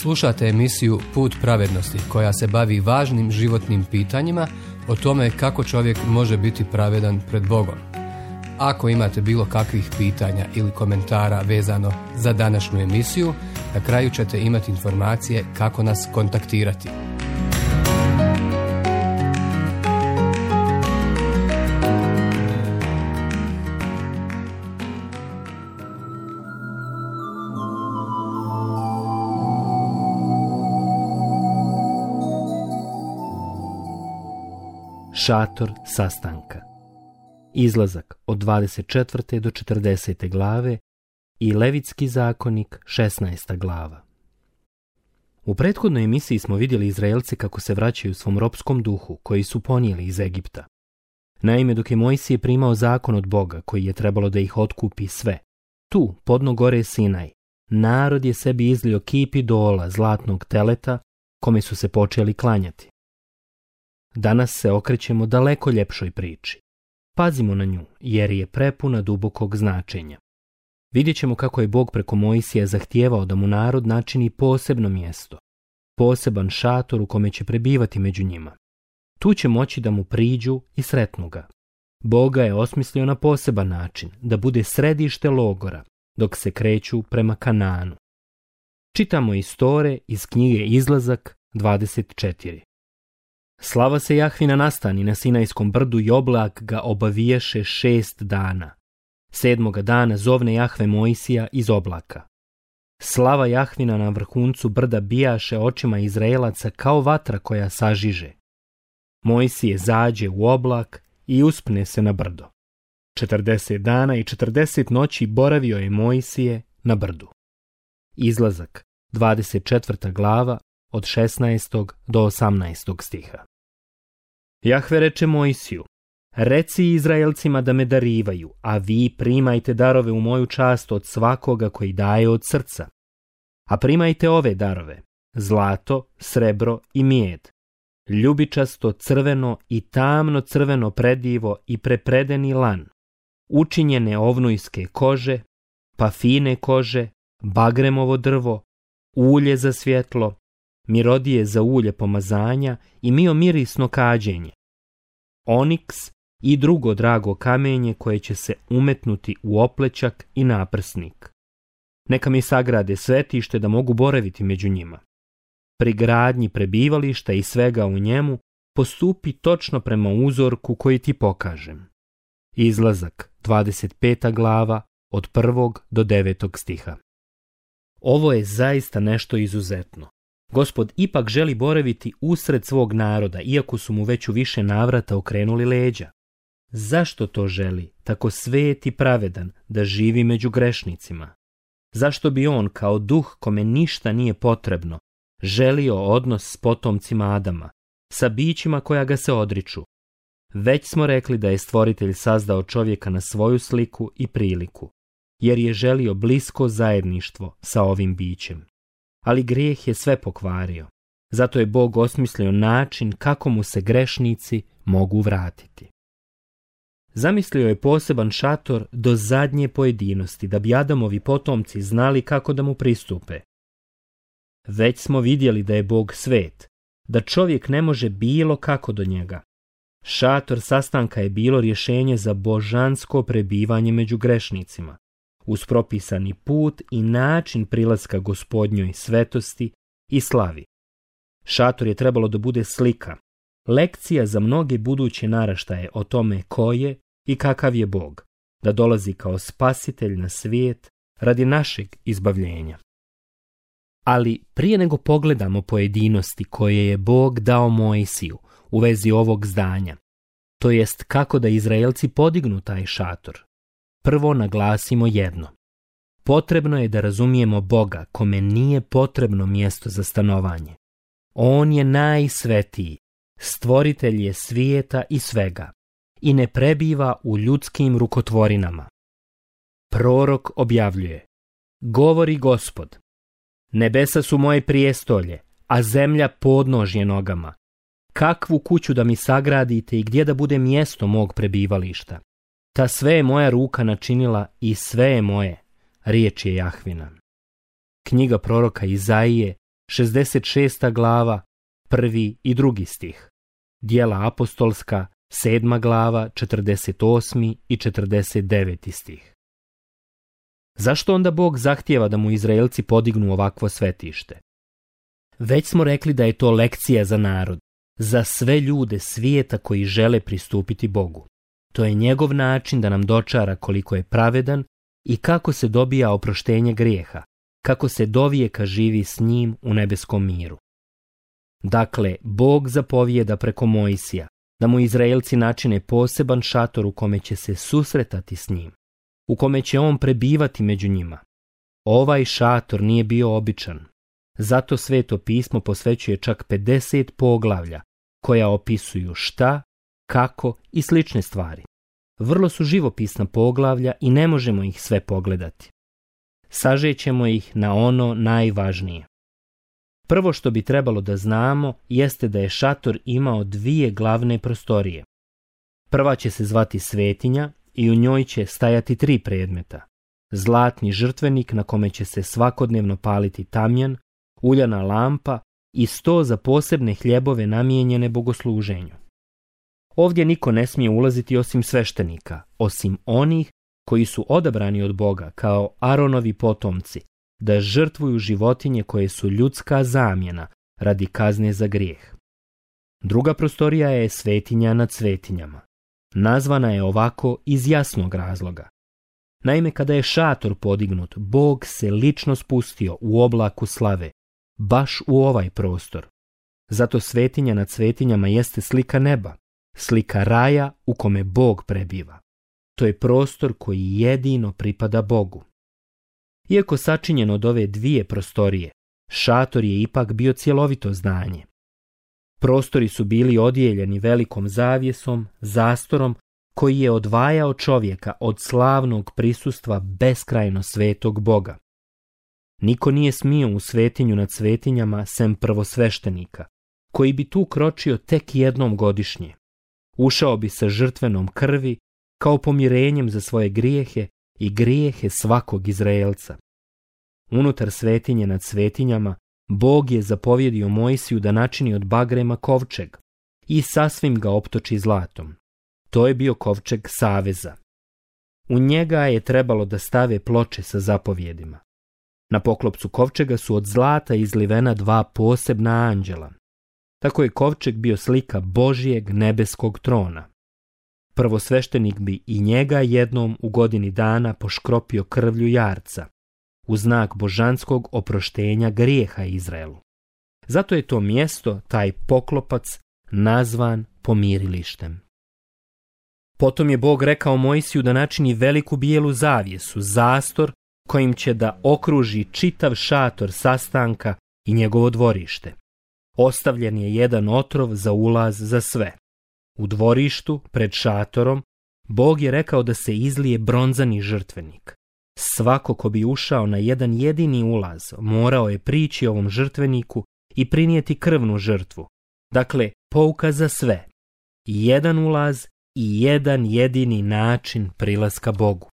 Slušate emisiju Put pravednosti koja se bavi važnim životnim pitanjima o tome kako čovjek može biti pravedan pred Bogom. Ako imate bilo kakvih pitanja ili komentara vezano za današnju emisiju, na kraju ćete imati informacije kako nas kontaktirati. Šator sastanka. Izlazak od 24. do 40. glave i Levitski zakonik 16. glava. U prethodnoj emisiji smo vidjeli Izraelce kako se vraćaju svom ropskom duhu koji su ponijeli iz Egipta. Naime, dok je Mojsije primao zakon od Boga koji je trebalo da ih otkupi sve, tu, podno gore Sinaj, narod je sebi izlio kip idola zlatnog teleta kome su se počeli klanjati. Danas se okrećemo daleko ljepšoj priči. Pazimo na nju, jer je prepuna dubokog značenja. Vidjet ćemo kako je Bog preko Mojsija zahtijevao da mu narod načini posebno mjesto, poseban šator u kome će prebivati među njima. Tu će moći da mu priđu i sretnu ga. Bog ga je osmislio na poseban način, da bude središte logora, dok se kreću prema Kanaanu. Čitamo istore iz knjige Izlazak 24. Slava se Jahvina nastani na Sinajskom brdu i oblak ga obaviješe 6 dana. 7. dana zovne Jahve Mojsija iz oblaka. Slava Jahvina na vrhuncu brda bijaše očima Izraelaca kao vatra koja sažiže. Mojsije zađe u oblak i uspne se na brdo. 40 dana i 40 noći boravio je Mojsije na brdu. Izlazak 24. glava od 16. do 18. stiha. Jahve reče Mojsiju: reci Izraelcima da me darivaju, a vi primajte darove u moju čast od svakoga koji daje od srca. A primajte ove darove: zlato, srebro i mijed, ljubičasto, crveno i tamno crveno predivo i prepredeni lan, učinjene ovnujske kože, pafine kože, bagremovo drvo, ulje za svjetlo, mirodije za ulje pomazanja i mirisno kađenje, oniks i drugo drago kamenje koje će se umetnuti u oplećak i naprsnik. Neka mi sagrade svetište da mogu boraviti među njima. Pri gradnji prebivališta i svega u njemu postupi točno prema uzorku koji ti pokažem. Izlazak 25. glava od 1. do 9. stiha. Ovo je zaista nešto izuzetno. Gospod ipak želi boraviti usred svog naroda, iako su mu već u više navrata okrenuli leđa. Zašto to želi, tako svet i pravedan, da živi među grešnicima? Zašto bi on, kao duh kome ništa nije potrebno, želio odnos s potomcima Adama, sa bićima koja ga se odriču? Već smo rekli da je Stvoritelj sazdao čovjeka na svoju sliku i priliku, jer je želio blisko zajedništvo sa ovim bićem. Ali grijeh je sve pokvario. Zato je Bog osmislio način kako mu se grešnici mogu vratiti. Zamislio je poseban šator do zadnje pojedinosti, da bi Adamovi potomci znali kako da mu pristupe. Već smo vidjeli da je Bog svet, da čovjek ne može bilo kako do njega. Šator sastanka je bilo rješenje za božansko prebivanje među grešnicima, uz propisani put i način prilaska Gospodnjoj svetosti i slavi. Šator je trebalo da bude slika, lekcija za mnoge buduće naraštaje o tome ko je i kakav je Bog, da dolazi kao spasitelj na svijet radi našeg izbavljenja. Ali prije nego pogledamo pojedinosti koje je Bog dao Mojsiju u vezi ovog zdanja, to jest kako da Izraelci podignu taj šator, prvo naglasimo jedno. Potrebno je da razumijemo Boga kome nije potrebno mjesto za stanovanje. On je najsvetiji, stvoritelj je svijeta i svega i ne prebiva u ljudskim rukotvorinama. Prorok objavljuje: govori Gospod, nebesa su moje prijestolje, a zemlja podnožje nogama. Kakvu kuću da mi sagradite i gdje da bude mjesto mog prebivališta? Ta sve je moja ruka načinila i sve je moje, riječ je Jahvina. Knjiga proroka Izaije 66. glava, 1. i 2. stih. Djela apostolska, 7. glava, 48. i 49. stih. Zašto onda Bog zahtijeva da mu Izraelci podignu ovakvo svetište? Već smo rekli da je to lekcija za narod, za sve ljude svijeta koji žele pristupiti Bogu. To je njegov način da nam dočara koliko je pravedan i kako se dobija oproštenje grijeha, kako se dovijeka živi s njim u nebeskom miru. Dakle, Bog zapovijeda preko Mojsija da mu Izraelci načine poseban šator u kome će se susretati s njim, u kome će on prebivati među njima. Ovaj šator nije bio običan, zato Sveto pismo posvećuje čak 50 poglavlja koja opisuju šta, kako i slične stvari. Vrlo su živopisna poglavlja i ne možemo ih sve pogledati. Sažećemo ih na ono najvažnije. Prvo što bi trebalo da znamo jeste da je šator imao 2 glavne prostorije. Prva će se zvati svetinja i u njoj će stajati 3 predmeta. Zlatni žrtvenik na kome će se svakodnevno paliti tamjan, uljana lampa i sto za posebne hljebove namijenjene bogosluženju. Ovdje niko ne smije ulaziti osim sveštenika, osim onih koji su odabrani od Boga kao Aronovi potomci, da žrtvuju životinje koje su ljudska zamjena radi kazne za grijeh. Druga prostorija je svetinja nad svetinjama. Nazvana je ovako iz jasnog razloga. Naime, kada je šator podignut, Bog se lično spustio u oblaku slave, baš u ovaj prostor. Zato svetinja nad svetinjama jeste slika neba, slika raja u kome Bog prebiva. To je prostor koji jedino pripada Bogu. Iako sačinjen od ove 2 prostorije, šator je ipak bio cjelovito zdanje. Prostori su bili odijeljeni velikom zavjesom, zastorom, koji je odvajao čovjeka od slavnog prisustva beskrajno svetog Boga. Niko nije smio u svetinju nad svetinjama sem prvosveštenika, koji bi tu kročio tek jednom godišnje. Ušao bi sa žrtvenom krvi kao pomirenjem za svoje grijehe i grijehe svakog Izraelca. Unutar svetinje nad svetinjama Bog je zapovjedio Mojsiju da načini od bagrema kovčeg i sasvim ga optoči zlatom. To je bio kovčeg saveza. U njega je trebalo da stave ploče sa zapovjedima. Na poklopcu kovčega su od zlata izlivena 2 posebna anđela. Tako je kovčeg bio slika Božijeg nebeskog trona. Prvosveštenik bi i njega jednom u godini dana poškropio krvlju jarca, u znak božanskog oproštenja grijeha Izraelu. Zato je to mjesto, taj poklopac, nazvan pomirilištem. Potom je Bog rekao Mojsiju da načini veliku bijelu zavjesu, zastor, kojim će da okruži čitav šator sastanka i njegovo dvorište. Ostavljen je jedan otrov za ulaz za sve. U dvorištu, pred šatorom, Bog je rekao da se izlije bronzani žrtvenik. Svako ko bi ušao na jedan jedini ulaz morao je prići ovom žrtveniku i prinijeti krvnu žrtvu. Dakle, pouka za sve. Jedan ulaz i jedan jedini način prilaska Bogu.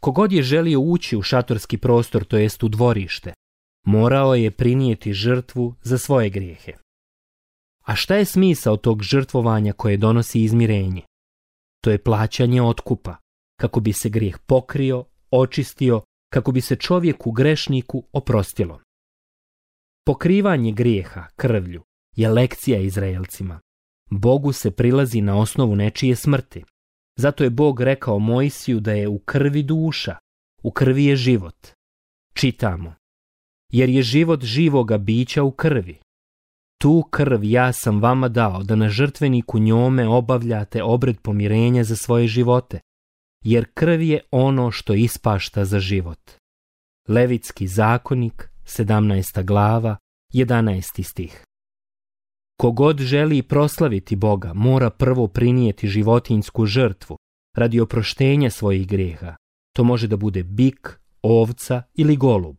Kogod je želio ući u šatorski prostor, to jest u dvorište, morao je prinijeti žrtvu za svoje grijehe. A šta je smisao tog žrtvovanja koje donosi izmirenje? To je plaćanje otkupa, kako bi se grijeh pokrio, očistio, kako bi se čovjeku grešniku oprostilo. Pokrivanje grijeha krvlju je lekcija Izraelcima. Bogu se prilazi na osnovu nečije smrti. Zato je Bog rekao Mojsiju da je u krvi duša, u krvi je život. Čitamo: jer je život živoga bića u krvi. Tu krv ja sam vama dao da na žrtveniku njome obavljate obred pomirenja za svoje živote, jer krv je ono što ispašta za život. Levitski zakonik, 17. glava, 11. stih. Kogod želi proslaviti Boga, mora prvo prinijeti životinjsku žrtvu radi oproštenja svojih grijeha. To može da bude bik, ovca ili golub.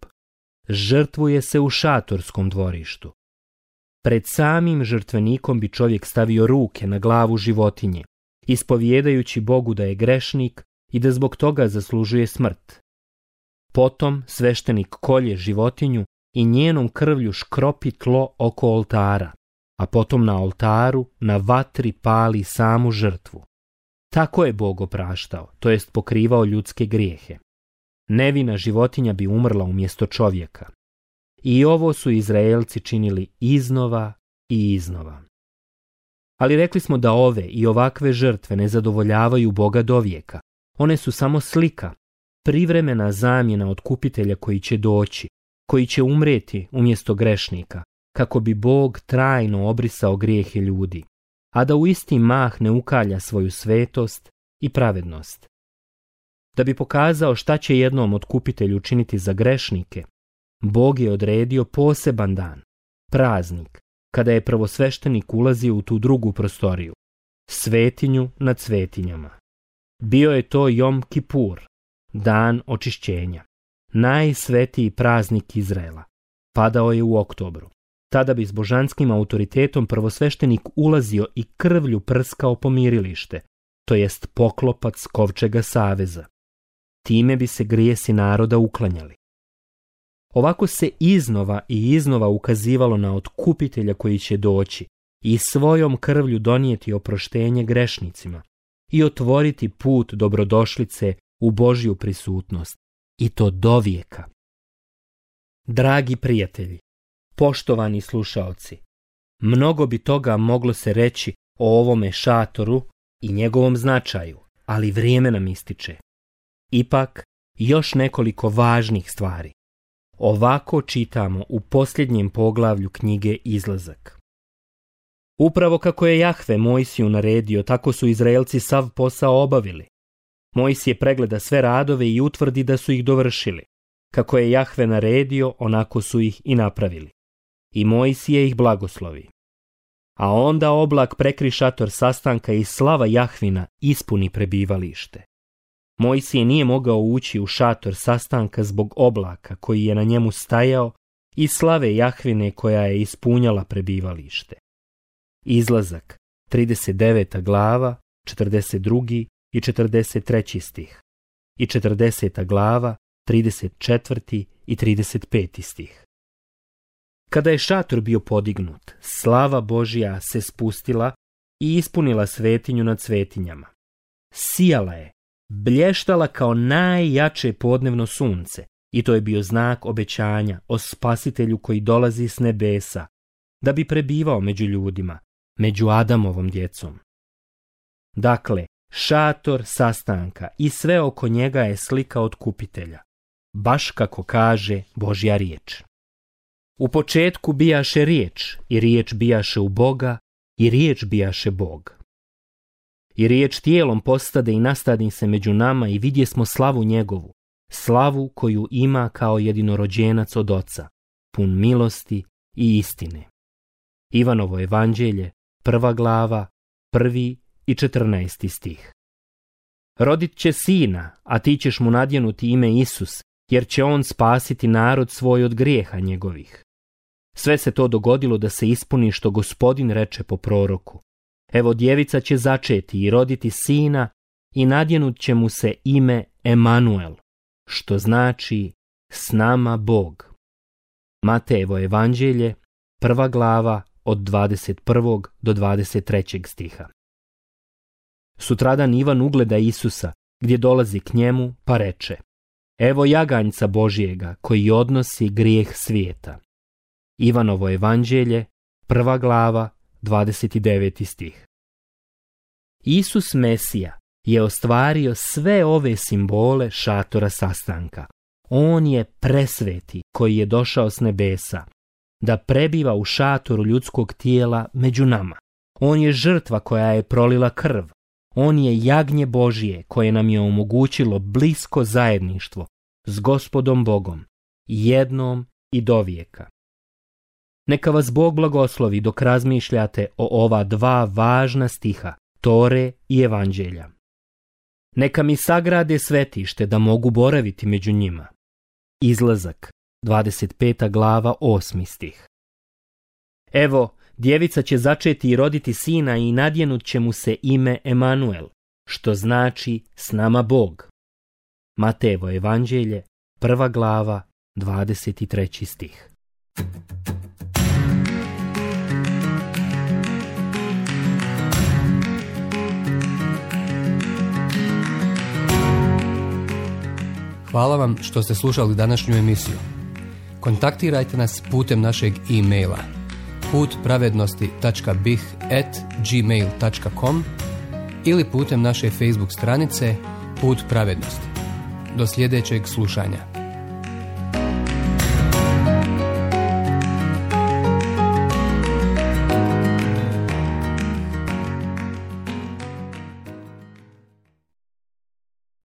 Žrtvuje se u šatorskom dvorištu. Pred samim žrtvenikom bi čovjek stavio ruke na glavu životinje, ispovjedajući Bogu da je grešnik i da zbog toga zaslužuje smrt. Potom sveštenik kolje životinju i njenom krvlju škropi tlo oko oltara, a potom na oltaru na vatri pali samu žrtvu. Tako je Bog opraštao, to jest pokrivao ljudske grijehe. Nevina životinja bi umrla umjesto čovjeka. I ovo su Izraelci činili iznova i iznova. Ali rekli smo da ove i ovakve žrtve ne zadovoljavaju Boga dovijeka. One su samo slika, privremena zamjena otkupitelja koji će doći, koji će umrijeti umjesto grešnika, kako bi Bog trajno obrisao grijehe ljudi, a da u isti mah ne ukalja svoju svetost i pravednost. Da bi pokazao šta će jednom otkupitelju učiniti za grešnike, Bog je odredio poseban dan, praznik, kada je prvosveštenik ulazio u tu drugu prostoriju, svetinju nad svetinjama. Bio je to Jom Kipur, dan očišćenja, najsvetiji praznik Izraela. Padao je u oktobru. Tada bi s božanskim autoritetom prvosveštenik ulazio i krvlju prskao pomirilište, to jest poklopac kovčega saveza. Time bi se grijesi naroda uklanjali. Ovako se iznova i iznova ukazivalo na otkupitelja koji će doći i svojom krvlju donijeti oproštenje grešnicima i otvoriti put dobrodošlice u Božju prisutnost, i to dovijeka. Dragi prijatelji, poštovani slušaoci, mnogo bi toga moglo se reći o ovome šatoru i njegovom značaju, ali vrijeme nam ističe. Ipak, još nekoliko važnih stvari. Ovako čitamo u posljednjem poglavlju knjige Izlazak. Upravo kako je Jahve Mojsiju naredio, tako su Izraelci sav posao obavili. Mojsije pregleda sve radove i utvrdi da su ih dovršili. Kako je Jahve naredio, onako su ih i napravili. I Mojsije ih blagoslovi. A onda oblak prekri šator sastanka i slava Jahvina ispuni prebivalište. Mojsije nije mogao ući u šator sastanka zbog oblaka koji je na njemu stajao i slave Jahvine koja je ispunjala prebivalište. Izlazak, 39. glava, 42. i 43. stih i 40. glava, 34. i 35. stih. Kada je šator bio podignut, slava Božja se spustila i ispunila svetinju nad svetinjama. Sijala je, blještala kao najjače podnevno sunce, i to je bio znak obećanja o Spasitelju koji dolazi s nebesa, da bi prebivao među ljudima, među Adamovom djecom. Dakle, šator sastanka i sve oko njega je slika otkupitelja, baš kako kaže Božja riječ. U početku bijaše riječ, i riječ bijaše u Boga, i riječ bijaše Bog. I riječ tijelom postade i nastadi se među nama i vidjesmo slavu njegovu, slavu koju ima kao jedinorođenac od Oca, pun milosti i istine. Ivanovo evanđelje, 1. glava, 1. i 14. stih. Rodit će sina, a ti ćeš mu nadjenuti ime Isus, jer će on spasiti narod svoj od grijeha njegovih. Sve se to dogodilo da se ispuni što Gospodin reče po proroku. Evo, djevica će začeti i roditi sina i nadjenut će mu se ime Emanuel, što znači s nama Bog. Matejevo evanđelje, 1. glava, od 21. do 23. stiha. Sutradan Ivan ugleda Isusa, gdje dolazi k njemu, pa reče: Evo jaganjca Božjega, koji odnosi grijeh svijeta. Ivanovo evanđelje, 1. glava, 29. stih. Isus Mesija je ostvario sve ove simbole šatora sastanka. On je presveti koji je došao s nebesa, da prebiva u šatoru ljudskog tijela među nama. On je žrtva koja je prolila krv. On je jagnje Božje koje nam je omogućilo blisko zajedništvo s Gospodom Bogom, jednom i dovijeka. Neka vas Bog blagoslovi dok razmišljate o ova dva važna stiha, Tore i Evanđelja. Neka mi sagrade svetište da mogu boraviti među njima. Izlazak, 25. glava, 8. stih. Evo, djevica će začeti i roditi sina i nadjenut će mu se ime Emanuel, što znači s nama Bog. Matejevo evanđelje, 1. glava, 23. stih. Hvala vam što ste slušali današnju emisiju. Kontaktirajte nas putem našeg e-maila putpravednosti.bih@gmail.com ili putem naše Facebook stranice Put pravednosti. Do sljedećeg slušanja.